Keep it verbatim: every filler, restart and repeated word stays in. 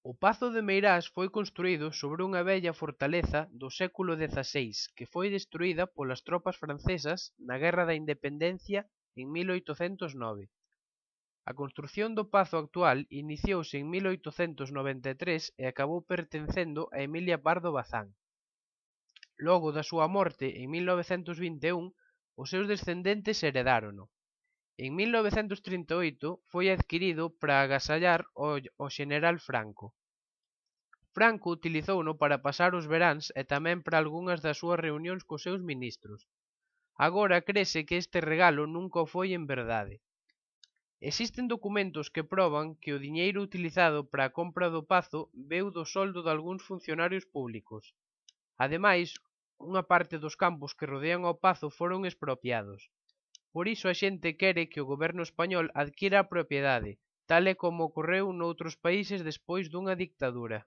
O pazo de Meirás foi construído sobre unha vella fortaleza do século dezaseis que foi destruída polas tropas francesas na Guerra da Independencia en mil oitocentos nove. A construción do pazo actual iniciouse en mil oitocentos noventa e tres e acabou pertencendo a Emilia Pardo Bazán. Logo da súa morte en mil novecentos vinte e un, os seus descendentes heredárono. En mil novecentos trinta e oito foi adquirido para agasallar ao xeneral Franco. Franco utilizouno para pasar os veráns e tamén para algunhas das súas reunións cos seus ministros. Agora crese que este regalo nunca o foi en verdade. Existen documentos que proban que o diñeiro utilizado para a compra do pazo veu do soldo dalgúns funcionarios públicos. Ademais, unha parte dos campos que rodean ao pazo foron expropiados. Por iso a xente quere que o goberno español adquira a propiedade, tal e como ocorreu noutros países despois dunha dictadura.